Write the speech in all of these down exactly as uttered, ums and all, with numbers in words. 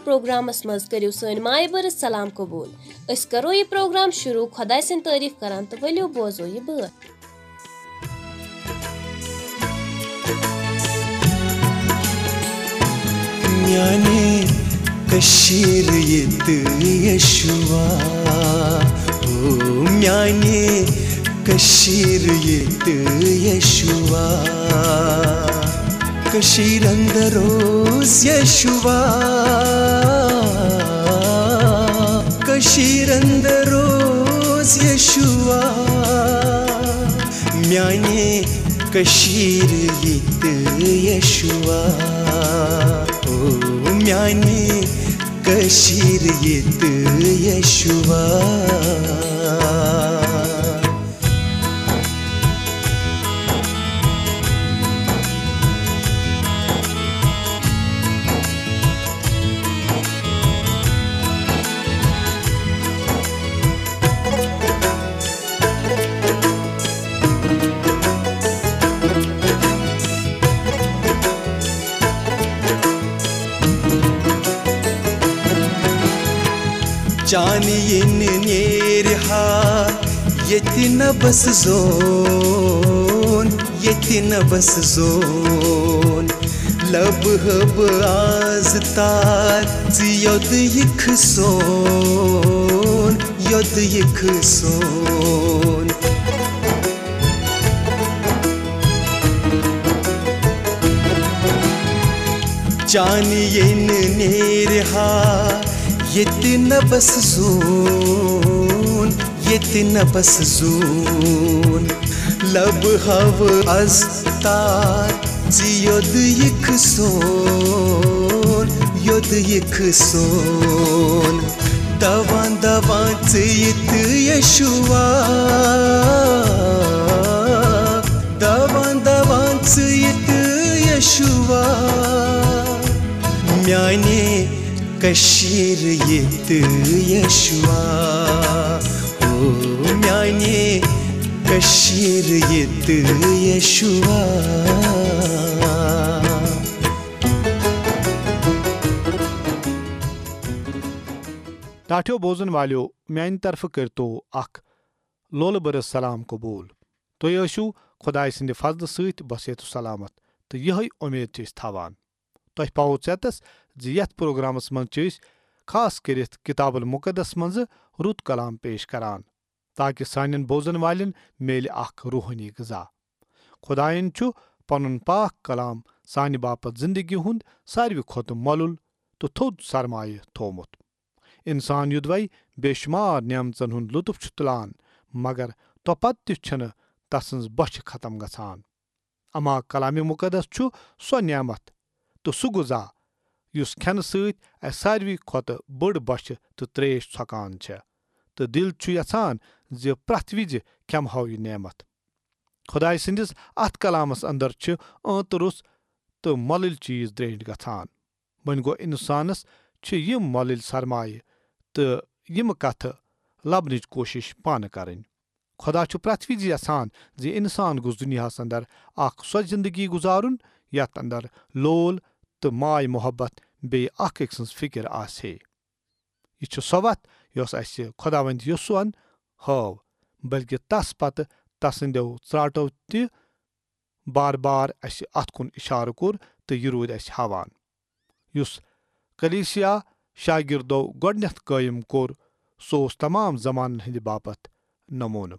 Programmes منٛز کٔرِو سٲنۍ مایہِ بٔرٕژ سلام قبوٗل۔ أسۍ کرو یہِ پروگرام شروع خۄداے سٕنٛدۍ تعریٖف کران تہٕ ؤلِو بوزو یہِ بٲتھ۔ میانہِ کٔشیٖرِ ییٚتہِ یشوا، او میانہِ کٔشیٖرِ ییٚتہِ یشوا۔ کٔشیٖرِ اندر اوس یشوا، کٔشیٖرِ اندر اوس یشوا۔ میانہِ کٔشیٖرِ ییٚتہِ یشوا، او میانہِ کٔشیٖرِ ییٚتہِ یشوا۔ چانہِ یِنہٕ نیرِ ہا ییٚتہِ نبس زون، ییٚتہِ نبس زون۔ لبہٕ ہبہٕ آز تار ژٕ یوٚد یِکھ سون، یوٚد یِکھ سون۔ چانہِ یِنہٕ نیرِ ہا ییٚتہِ نبس زون، ییٚتہِ نبس زون۔ لبہٕ ہبہٕ آز تار ژٕ یوٚد یِکھ سون، یوٚد یِکھ سون۔ دوان دوان ژٕ ییٚتہِ یشوا، دوان دوان ژٕ ییٚتہِ یشوا۔ میانہِ کٔشیٖرِ ییٚتہِ یشوا، او میانہِ کٔشیٖرِ ییٚتہِ یشوا۔ ٹاٹھیو بوزن والیو، میانہِ طرفہٕ کٔرتو اکھ لولہٕ بٔرٕژ سلام قبول۔ تُہۍ ٲسِو خۄداے سٕنٛدِ فضلہٕ سۭتۍ بصحت و سلامت، تہٕ یِہے اُمید چھِ أسۍ تھاوان۔ تۄہہِ پاوو ژیتس زِ یتھ پروگرامس منٛز چھِ أسۍ خاص کٔرِتھ کتاب المقدس منٛزٕ رُت کلام پیش کران، تاکہ سانٮ۪ن بوزن والٮ۪ن میلہِ اکھ روحٲنی غذا۔ خۄداین چھُ پنُن پاک کلام سانہِ باپتھ زندگی ہُنٛد ساروی کھۄتہٕ مۄلُل تہٕ تھوٚد سرمایہ تھوومُت۔ انسان یوٚدوے بے شمار نعمژن ہُنٛد لطف چھُ تُلان، مگر توپتہٕ تہِ چھنہٕ تسٕنز بۄچھِ ختم گژھان۔ اما کلام مقدس چھُ سۄ نعمت تہٕ سُہ غذا، یُس کھٮ۪نہٕ سۭتۍ اسہِ ساروی کھۄتہٕ بٔڑ بۄچھِ تہٕ تریش ژھۄکان چھےٚ، تہٕ دل چھُ یژھان زِ پرٛٮ۪تھ وِزِ کھٮ۪مہو یہِ نعمت۔ خۄداے سٕنٛدِس اتھ کلامس اندر چھِ ٲنتہٕ روٚس تہٕ مۄلٕلۍ چیز درینٹھۍ گژھان۔ وۄنۍ گوٚو، انسانس چھِ یِم مۄلٕلۍ سرمایہ تہٕ یِم کتھٕ لبنٕچ کوشش پانہٕ کرٕنۍ۔ خۄدا چھُ پرٛٮ۪تھ وِزِ یژھان زِ انسان گوٚژھ دُنیاہس اندر اکھ سۄ زندگی گُزارُن، یتھ اندر لول تہٕ ماے محبت بیٚیہِ اکھ أکۍ سٕنٛز فکر آسہِ ہے۔ یہِ چھِ سۄ وتھ، یۄس اسہِ خۄداوند یسوعن ہٲو، بلکہ تس پتہٕ تسٕنٛدیو ژراٹو تہِ بار بار اسہِ اتھ کُن اشارٕ کوٚر تہٕ یہِ روٗدۍ اسہِ ہاوان۔ یُس کلیسیا شاگردو گۄڈنیتھ قٲیِم کوٚر، سُہ اوس تمام زمانن ہٕنٛدِ باپتھ نمونہٕ۔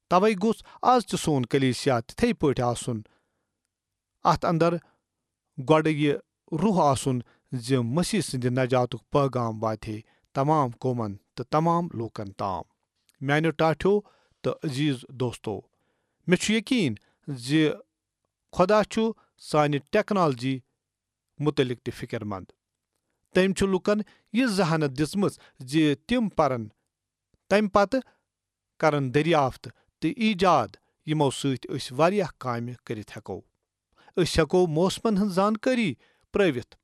توے گوٚژھ از تہِ سون کلیسیا تِتھے پٲٹھۍ آسُن۔ اتھ اندر گۄڈٕ یہِ روح آسُن زِ مسیح سٕنٛدِ نجاتُک پٲغام واتہِ ہے تمام قومن تہٕ تمام لوٗکن تام۔ میانیو ٹاٹھیو تہٕ عزیز دوستو، مےٚ چھُ یقین زِ خۄدا چھُ سانہِ ٹیکنالوجی مُتعلق تہِ فِکر مند۔ تٔمۍ چھُ لوٗکن یہِ ذہانت دِژمٕژ زِ تِم پرن، تمہِ پتہٕ کرن دریافت تہٕ ایجاد، یِمو سۭتۍ أسۍ واریاہ کامہِ کٔرِتھ ہٮ۪کو۔ أسۍ ہٮ۪کو موسمن ہٕنٛز زانکٲری پرٲوِتھ،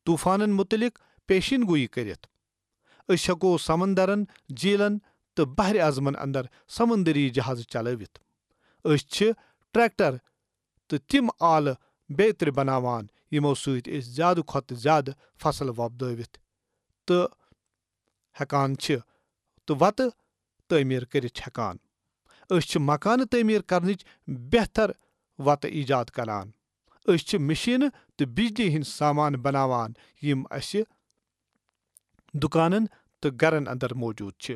طوفانن مُتعلق پیشین گویی کٔرِتھ۔ أسۍ ہٮ۪کو سمندرن، جھیلن تہٕ بحر اعظمن اندر سمندری جہازٕ چلٲوِتھ۔ أسۍ چھِ ٹریکٹر تہٕ تِم آلہٕ بیترِ بناوان، یِمو سۭتۍ أسۍ زیادٕ کھۄتہٕ زیادٕ فصل وۄپدٲوِتھ تہٕ ہٮ۪کان چھِ تہٕ وَتہٕ تعمیٖر کٔرِتھ ہٮ۪کان۔ أسۍ چھِ مکانہٕ تعمیٖر کرنٕچ بہتر وَتہٕ ایجاد کران۔ أسۍ چھِ مشیٖنہٕ تہٕ بجلی ہٕنٛدۍ سامان بناوان، یِم اَسہِ دُکانن تہٕ گرن اندر موجود چھِ۔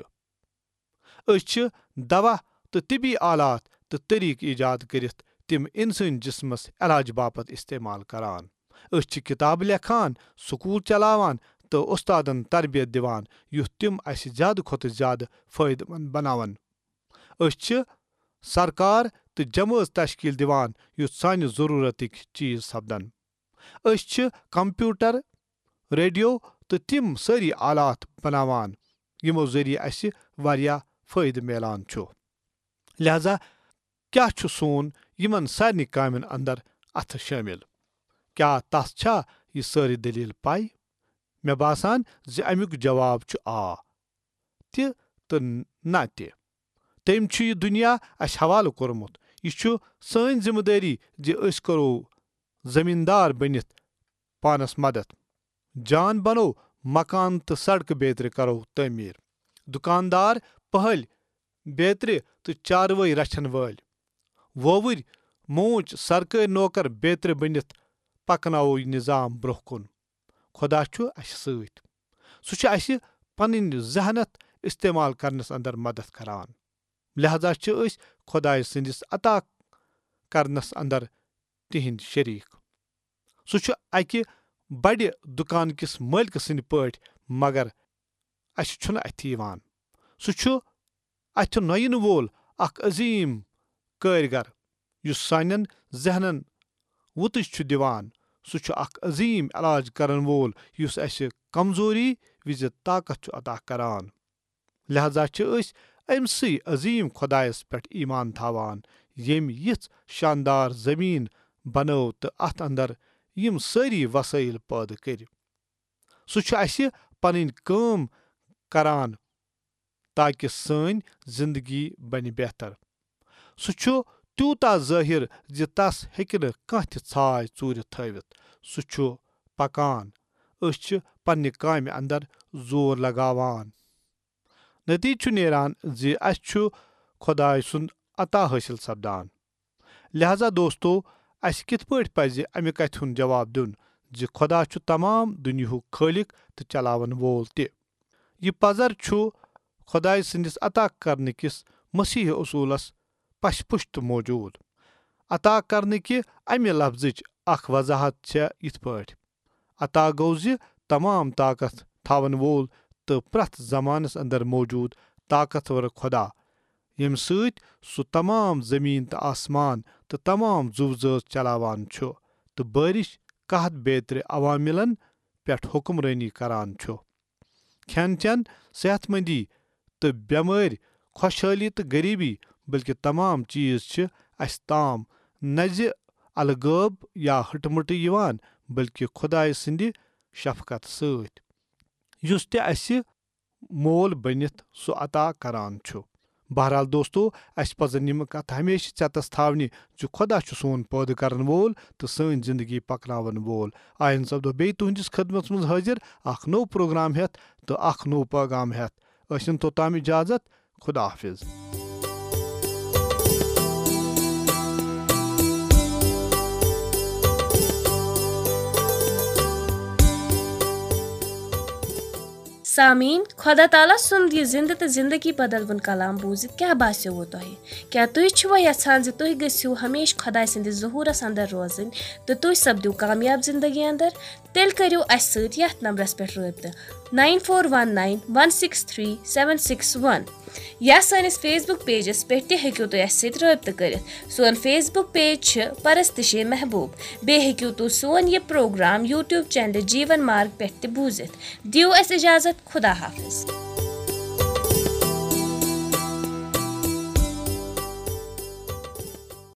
أسۍ چھِ دوا تہٕ طبی آلات تہٕ طریقہٕ ایجاد کٔرِتھ تِم انسٲنی جسمس علاج باپتھ استعمال کران۔ أسۍ چھِ کتابہٕ لیکھان، سکول چلاوان تہٕ استادن تربیت دِوان، یُتھ تِم اسہِ زیادٕ کھۄتہٕ زیادٕ فٲیدٕ مند بناون۔ أسۍ چھِ سرکار تہٕ جمٲژ تشکیل دِوان، یُتھ سانہِ ضرورتٕکۍ چیز سپدن۔ أسۍ چھِ کمپیوٹر، ریڈیو تہٕ تِم سٲری آلات بناوان، یِمو ذٔریعہٕ اسہِ واریاہ فٲیدٕ میلان چھُ۔ لہذا کیا چھُ سون یِمن سارنٕے کامٮ۪ن اندر اتھٕ شٲمِل؟ کیا تس چھا یہِ سٲرٕے دٔلیٖل پَے؟ مےٚ باسان زِ امیُک جواب چھُ آ تہِ تہٕ نہ تہِ۔ تٔمۍ چھُ یہِ دُنیا اسہِ حوالہٕ کوٚرمُت۔ یہِ چھُ سٲنۍ ذمہٕ دٲری زِ أسۍ کرو زمیٖندار بٔنِتھ پانس مدد۔ جان بنو مکان تہٕ سڑکہٕ بیترِ کرو تعمیٖر۔ دُکاندار پہلۍ بیترِ تہٕ چاروٲے رچھن وٲلۍ۔ وووٕرۍ موٗچ سرکٲرۍ نوکر بیترِ بٔنِتھ پکناوو یہِ نظام برونٛہہ کُن۔ خدا چھُ اسہِ سۭتۍ۔ سُہ چھُ اسہِ پنٕنۍ ذہنت استعمال کرنس اندر مدد کران۔ لہذا چھِ أسۍ خدایہِ سٕنٛدِس عطا کرنس اندر تِہنٛدۍ شریک۔ سُہ چھُ اکہِ بڑِ دُکان کِس مٲلکہٕ سٕنٛدۍ پٲٹھۍ، مگر اسہِ چھُنہٕ اتھِ یِوان۔ سُہ چھُ اتھِ نۄینہٕ وول اکھ عظیٖم کٲرۍگر، یُس سانٮ۪ن ذہنن وُتٕج چھُ دِوان۔ سُہ چھُ اکھ عظیٖم علاج کرن وول، یُس اسہِ کمزوری وِزِ طاقت چھُ عطا کران۔ لہذا چھِ أسۍ أمۍ سٕے عظیٖم خۄدایس پٮ۪ٹھ ایمان تھاوان، ییٚمۍ یِژھ شاندار زٔمیٖن بنٲو تہٕ اتھ اندر یِم سٲری وسٲیل پٲدٕ کٔرۍ۔ سُہ چھُ اسہِ پنٕنۍ کٲم کران تاکہ سٲنۍ زندگی بنہِ بہتر۔ سُہ چھُ تیوٗتاہ ظٲہِر زِ تس ہیٚکہِ نہٕ کانٛہہ تہِ ژھاے ژوٗرِ تھٲوِتھ۔ سُہ چھُ پکان۔ أسۍ چھِ پننہِ کامہِ اندر زور لگاوان۔ نتیجہٕ چھُ نیران زِ اسہِ چھُ خۄداے سُنٛد عطا حٲصِل سپدان۔ لہذا دوستو، اسہِ کِتھ پٲٹھۍ پزِ امہِ کتھِ ہُنٛد جواب دیُن زِ خۄدا چھُ تمام دُنیاہُک خٲلق تہٕ چلاون وول تہِ؟ یہِ پزر چھُ خۄداے سٕنٛدِس عطا کرنہٕ کِس مسیح اصوٗلس پشپُش تہٕ موجود۔ عطا کرنہٕ کہِ امہِ لفظٕچ اکھ وضاحت چھےٚ یِتھ پٲٹھۍ، عطا گوٚو زِ تمام طاقت تھاون وول تہٕ پرٛٮ۪تھ زمانس اندر موجود طاقتور خۄدا، ییٚمہِ سۭتۍ سُہ تمام زمین تہٕ آسمان تہٕ تمام زُو زٲژ چلاوان چھُ تہٕ بٲرِش قحط بیترِ عواملن پٮ۪ٹھ حکمرٲنی کران چھُ۔ کھٮ۪ن چٮ۪ن، صحت مندی تہٕ بٮ۪مٲرۍ، خۄشحٲلی تہٕ غریبی، بلکہ تمام چیز چھِ اسہِ تام نہ زِ الغٲب یا ہٕٹہٕ مٕٹہٕ یِوان، بلکہ خدایہِ سٕنٛدِ شفقت سۭتۍ، یُس تہِ اسہِ مول بٔنِتھ سُہ عطا کران چھُ۔ بہرحال دوستو، اسہِ پزن یِم کتھٕ ہمیشہِ ژٮ۪تس تھاونہِ زِ خدا چھُ سون پٲدٕ کرن وول تہٕ سٲنۍ زندگی پکناون وول۔ آیندٕ سپدو بیٚیہِ تُہنٛدِس خدمتس منٛز حٲضِر اکھ نوٚو پروگرام ہٮ۪تھ تہٕ اکھ نوٚو پیغام ہٮ۪تھ۔ ٲسِن توٚتام اجازت۔ خدا حافظ۔ سامعیٖن، خۄدا تعالیٰ سُنٛد یہِ زِنٛدٕ تہٕ زِنٛدگی بدلوُن کلام بوٗزِتھ کیٛاہ باسیووٕ تۄہہِ؟ کیٛاہ تُہۍ چھِوا یژھان زِ تُہۍ گٔژھِو ہمیشہٕ خۄداے سٕنٛدِس ظہوٗرس اندر روزٕنۍ تہٕ تُہۍ سپدِو کامیاب زِنٛدگی اندر؟ تیٚلہِ کٔرِو اَسہِ سۭتۍ یَتھ نمبرس پٮ۪ٹھ رٲبطہٕ، nine four one nine one six three seven six one، یا سٲنِس Facebook pageس پٮ۪ٹھ تہِ ہیٚکِو تُہۍ اَسہِ سۭتۍ رٲبطہٕ کٔرِتھ۔ سون Facebook page چھِ پرستشِ محبوب۔ بیٚیہِ ہیٚکِو تُہۍ سون یہِ پروگرام YouTube channel جیٖون مارگ پٮ۪ٹھ تہِ بوٗزِتھ۔ دِیِو اَسہِ اجازت، خدا حافظ۔